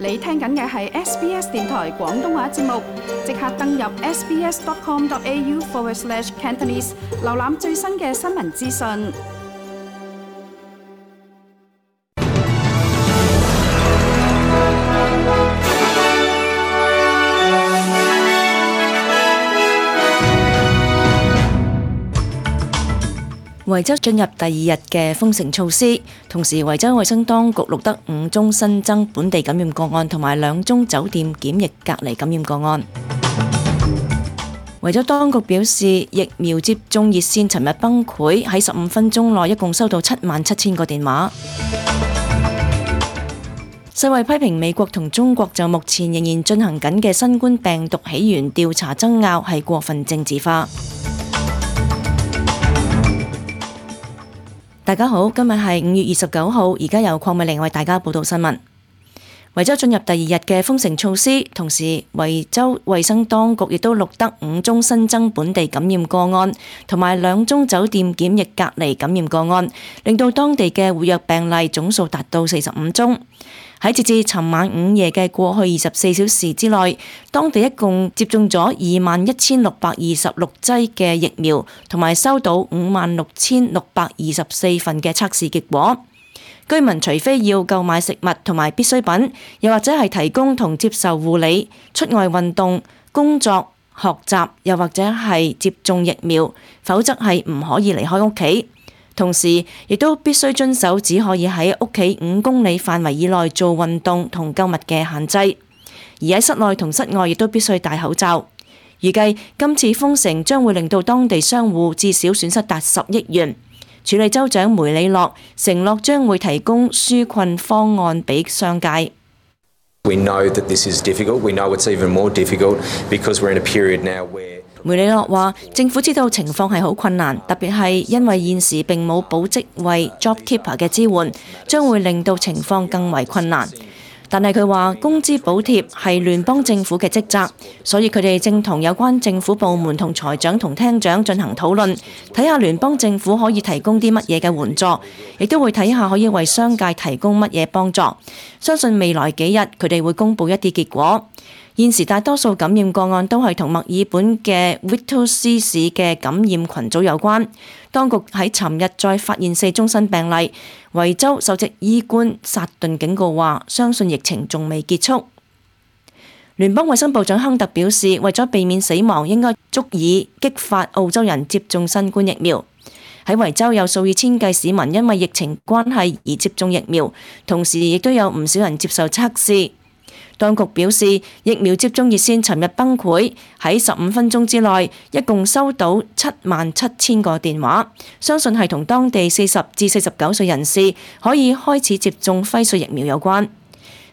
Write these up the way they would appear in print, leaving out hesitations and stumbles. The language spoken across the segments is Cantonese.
你聽緊嘅係 SBS 電台廣東話節目，即刻登入 sbs.com.au/Cantonese 瀏覽最新嘅新聞資訊。維州進入第2日嘅封城措施，同時維州衛生當局錄得5宗新增本地感染個案同埋2宗酒店檢疫隔離感染個案。維州當局表示，疫苗接種熱線尋日崩潰，喺15分鐘內一共收到77,000個電話。世衛批評美國同中國就目前仍然進行緊嘅新冠病毒起源調查爭拗係過分政治化。大家好，今日係5月29號，而家由鄺美玲為大家報道新聞。維州進入第2日嘅封城措施，同時維州衛生當局亦都錄得5宗新增本地感染個案，同埋2宗酒店檢疫隔離感染個案，令到當地嘅活躍病例總數達到45宗。喺截至尋晚午夜嘅過去24小時之內，當地一共接種咗21,626劑嘅疫苗，同埋收到56,624份嘅測試結果。居民除非要購買食物同埋必需品，又或者係提供同接受護理、出外運動、工作、學習，又或者係接種疫苗，否則係唔可以離開屋企。同時，亦都必須遵守只可以喺屋企5公里範圍以內做運動同購物嘅限制，而喺室內同室外亦都必須戴口罩。預計今次封城將會令到當地商戶至少損失達10億元。署理州長梅里諾承諾將會提供紓困方案俾商界。We know that this is difficult. We know it's even more difficult because we're in a period now where梅里諾話：政府知道情況係好困難，特別係因為現時並冇保職位 JobKeeper 嘅支援，將會令到情況更為困難。但係佢話工資補貼係聯邦政府嘅職責，所以佢哋正同有關政府部門同財長同廳長進行討論，睇下聯邦政府可以提供啲乜嘢嘅援助，亦都會睇下可以為商界提供乜嘢幫助。相信未來幾日佢哋會公佈一啲結果。現時大多數感染個案都係同墨爾本嘅 Whittlesea 市嘅感染群組有關。當局喺尋日再發現4宗新病例。維州首席醫官薩頓警告話，相信疫情仲未結束。聯邦衛生部長亨特表示，為咗避免死亡，應該足以激發澳洲人接種新冠疫苗。喺維州有數以千計市民因為疫情關係而接種疫苗，同時亦都有唔少人接受測試。當局表示，疫苗接種熱線尋日崩潰，喺15分鐘之內，一共收到77,000個電話，相信係同當地40至49歲人士可以開始接種輝瑞疫苗有關。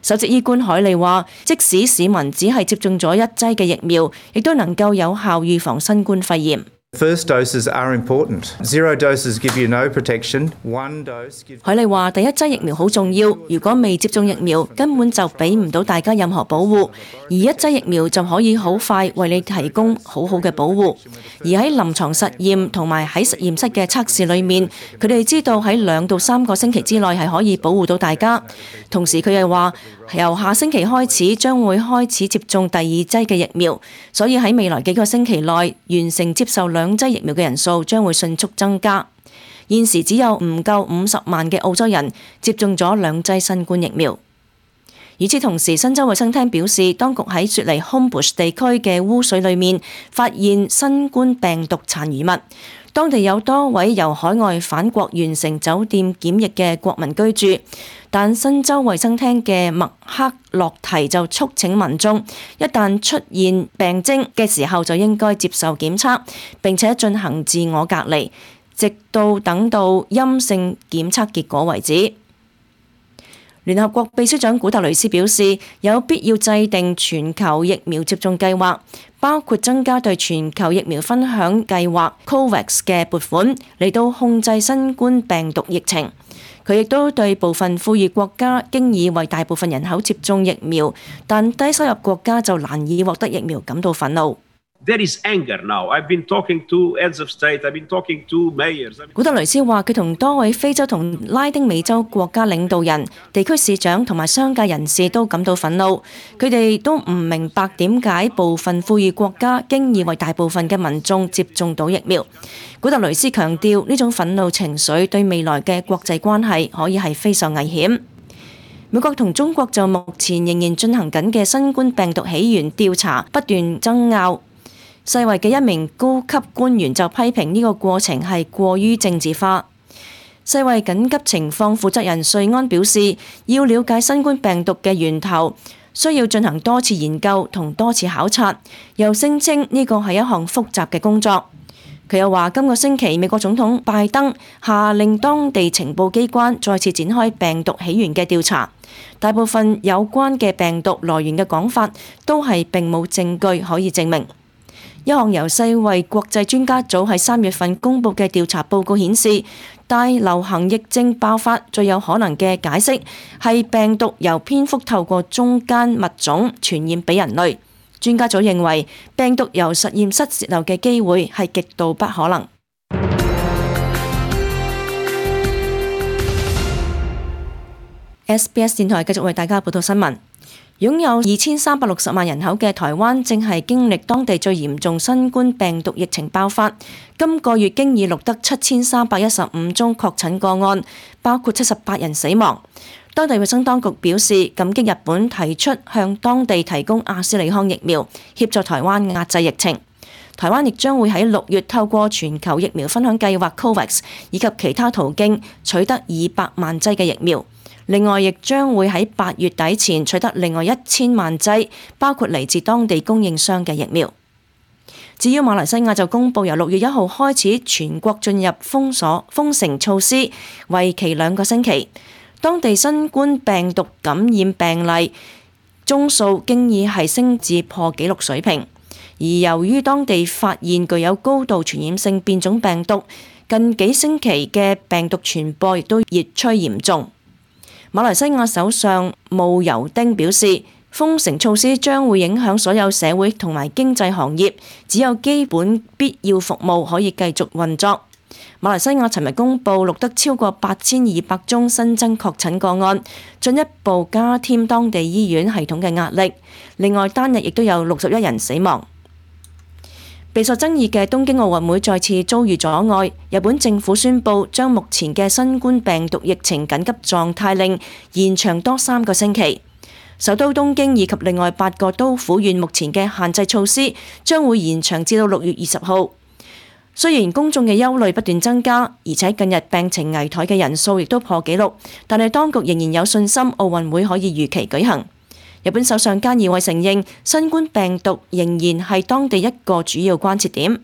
首席醫官海利話，即使市民只係接種咗1劑嘅疫苗，亦都能夠有效預防新冠肺炎。First doses are important. 0 doses give you no protection. 1 dose gives... 海利話：第1劑疫苗好重要，如果未接種疫苗，根本就俾唔到大家任何保護；而1劑疫苗就可以好快為你提供好好嘅保護。而喺臨床實驗同埋喺實驗室嘅測試裏面，佢哋知道喺2到3個星期之內係可以保護到大家。同時佢又話，由下星期開始將會開始接種第2劑嘅疫苗，所以喺未來幾個星期內完成接受2劑疫苗嘅人數將會迅速增加。現時只有唔夠50萬嘅澳洲人接種咗2劑新冠疫苗。與此同時，新州衛生廳表示，當局喺雪梨 Homebush 地區嘅污水裏面發現新冠病毒殘餘物。當地有多位由海外返國完成酒店檢疫嘅國民居住，但新州衛生廳嘅麥克洛提就促請民眾一旦出現病徵嘅時候就應該接受檢測，並且進行自我隔離，直到等到陰性檢測結果為止。聯合國秘書長古特雷斯表示，有必要制定全球疫苗接種計劃，包括增加對全球疫苗分享計劃 COVAX 嘅撥款，嚟到控制新冠病毒疫情。佢亦都對部分富裕國家經已為大部分人口接種疫苗，但低收入國家就難以獲得疫苗感到憤怒。There is anger now. I've been talking to heads of state. I've been talking to mayors. 古特雷斯話：佢同多位非洲同拉丁美洲國家領導人、地區市長同埋商界人士都感到憤怒。佢哋都唔明白點解部分富裕國家經已為大部分嘅民眾接種到疫苗。古特雷斯強調，呢種憤怒情緒對未來嘅國際關係可以係非常危險。美國同中國就目前仍然進行緊嘅新冠病毒起源調查不斷爭拗。世衛嘅一名高級官員就批評呢個過程係過於政治化。世衛緊急情況負責人瑞安表示，要了解新冠病毒嘅源頭，需要進行多次研究同多次考察，又聲稱呢個係一項複雜嘅工作。佢又話，今個星期美國總統拜登下令當地情報機關再次展開病毒起源嘅調查，大部分有關嘅病毒來源嘅講法都係並冇證據可以證明。一項由世衛國際專家組喺3月份公佈嘅調查報告顯示，大流行疫症爆發最有可能嘅解釋係病毒由蝙蝠透過中間物種傳染俾人類。專家組認為，病毒由實驗室洩漏嘅機會係極度不可能。SBS 電台繼續為大家報道新聞。擁有2360萬人口嘅台灣正係經歷當地最嚴重新冠病毒疫情爆發，今個月經已錄得7315宗確診個案，包括78人死亡。當地衛生當局表示感激日本提出向當地提供阿斯利康疫苗，協助台灣壓制疫情。台灣亦將會喺6月透過全球疫苗分享計劃 COVAX 以及其他途徑取得200萬劑嘅疫苗。另外，亦將會喺8月底前取得另外1000萬劑，包括嚟自當地供應商嘅疫苗。至於馬來西亞就公佈由6月1號開始全國進入封城措施，為期2個星期。當地新冠病毒感染病例宗數經已係升至破紀錄水平，而由於當地發現具有高度傳染性變種病毒，近幾星期嘅病毒傳播亦都越趨嚴重。馬來西亞首相慕尤丁表示，封城措施將會影響所有社會同埋經濟行業，只有基本必要服務可以繼續運作。馬來西亞尋日公佈錄得超過8200宗新增確診個案，進一步加添當地醫院系統嘅壓力。另外，單日亦都有61人死亡。備受爭議嘅東京奧運會再次遭遇阻礙，日本政府宣布將目前嘅新冠病毒疫情緊急狀態令延長多3個星期。首都東京以及另外8個都府縣目前嘅限制措施將會延長至到6月20號。雖然公眾嘅憂慮不斷增加，而且近日病情危殆嘅人數亦都破紀錄，但係當局仍然有信心奧運會可以如期舉行。日本首相菅義偉承認，新冠病毒仍然係當地一個主要關切點。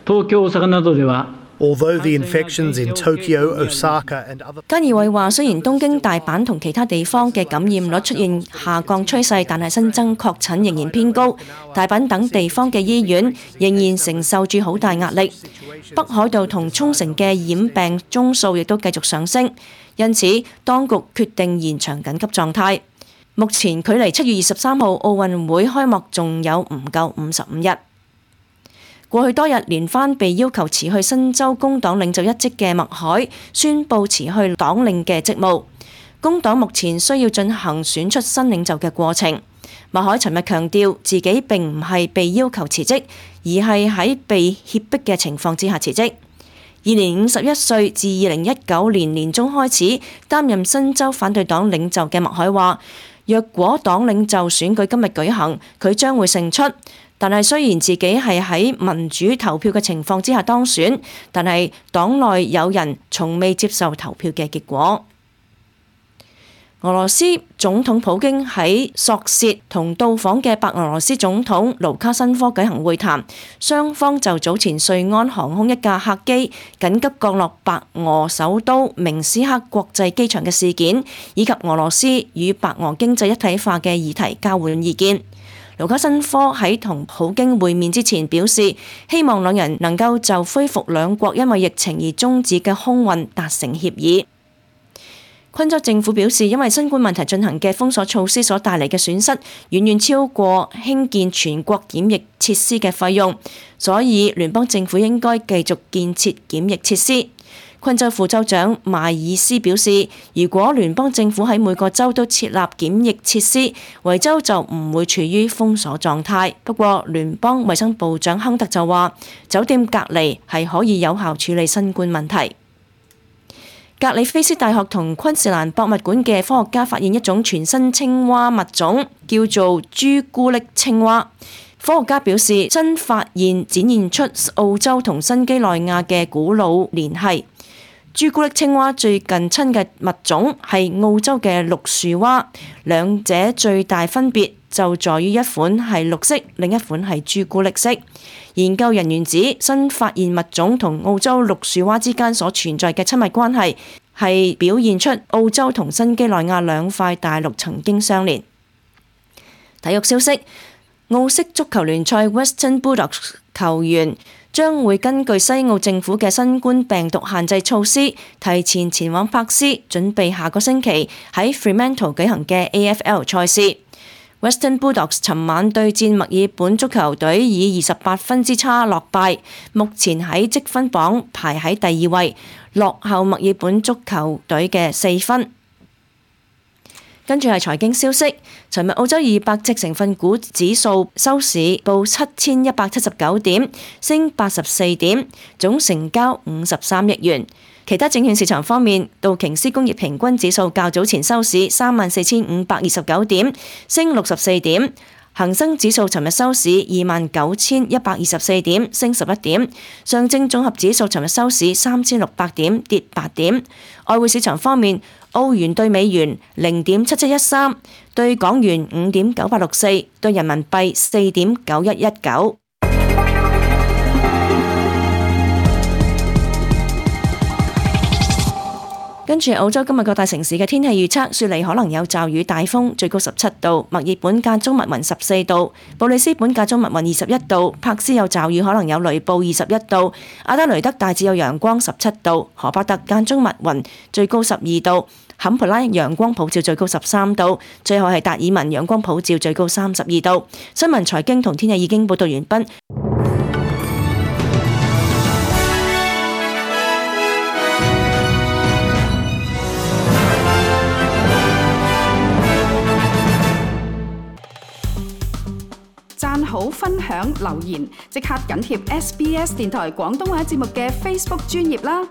東京、大阪などではAlthough the infections in Tokyo, Osaka and other 菅義偉話，雖然東京、大阪同其他地方嘅感染率出現下降趨勢，但係新增確診仍然偏高。大阪等地方嘅醫院仍然承受住好大壓力。北海道同沖繩嘅染病宗數亦都繼續上升，因此當局決定延長緊急狀態。目前距離7月23號奧運會開幕仲有唔夠55日。過去多日連番被要求辭去新州工黨領袖一職嘅麥凱宣布辭去黨領嘅職務。工黨目前需要進行選出新領袖嘅過程。麥凱尋日強調自己並唔係被要求辭職，而係喺被脅迫嘅情況之下辭職。現年51歲，自2019年年中開始擔任新州反對黨領袖嘅麥凱話，若果黨領袖選舉今日舉行，佢將會勝出。但係雖然自己係喺民主投票嘅情況之下當選，但係黨內有人從未接受投票嘅結果。俄羅斯總統普京喺索契同到訪嘅白俄羅斯總統盧卡申科舉行會談，雙方就早前瑞安航空一架客機緊急降落白俄首都明斯克國際機場嘅事件，以及俄羅斯與白俄經濟一體化嘅議題交換意見。盧卡申科喺同普京會面之前表示，希望兩人能夠就恢復兩國因為疫情而終止嘅空運達成協議。昆州政府表示，因為新冠問題進行嘅封鎖措施所帶嚟嘅損失，遠遠超過興建全國檢疫設施嘅費用，所以聯邦政府應該繼續建設檢疫設施。昆州副州長邁爾斯表示，如果聯邦政府喺每個州都設立檢疫設施，維州就唔會處於封鎖狀態。不過，聯邦衛生部長亨特就話，酒店隔離係可以有效處理新冠問題。格里菲斯大學同昆士蘭博物館嘅科學家發現一種全新青蛙物種，叫做朱古力青蛙。科學家表示，新發現展現出澳洲同新幾內亞嘅古老聯繫。朱古力青蛙最近親嘅物種係澳洲嘅綠樹蛙，兩者最大分別就在於一款係綠色，另一款係朱古力色。研究人員指，新發現物種同澳洲綠樹蛙之間所存在嘅親密關係，係表現出澳洲同新幾內亞兩塊大陸曾經相連。體育消息，澳式足球聯賽 Western Bulldogs 球員將會根據西澳政府嘅新冠病毒限制措施，提前前往珀斯，準備下個星期喺 Fremantle 舉行嘅 AFL 賽事。Western Bulldogs 尋晚對戰墨爾本足球隊，以28分之差落敗，目前喺積分榜排喺第2位，落後墨爾本足球隊嘅4分。跟住係財經消息，尋日澳洲200隻成分股指數收市報7179點，升84點，總成交53億元。其他證券市場方面，道瓊斯工業平均指數較早前收市34529點，升64點。恒生指數尋日收市29124點，升11點。上證綜合指數尋日收市3600點，跌8點。外匯市場方面，澳元對美元0.7713，對港元5.9864，對人民幣4.9119。跟住澳洲今日各大城市嘅天氣預測，雪梨可能有驟雨大風，最高17度；墨爾本間中密雲14度；布里斯本間中密雲21度；珀斯有驟雨可能有雷暴21度；阿德雷德大致有陽光17度；荷伯特間中密雲最高12度；坎培拉陽光普照最高13度；最後係達爾文陽光普照最高32度。新聞財經同天氣已經報道完畢。讚好、分享、留言，即刻緊貼SBS 電台廣東話節目嘅 Facebook 專頁啦！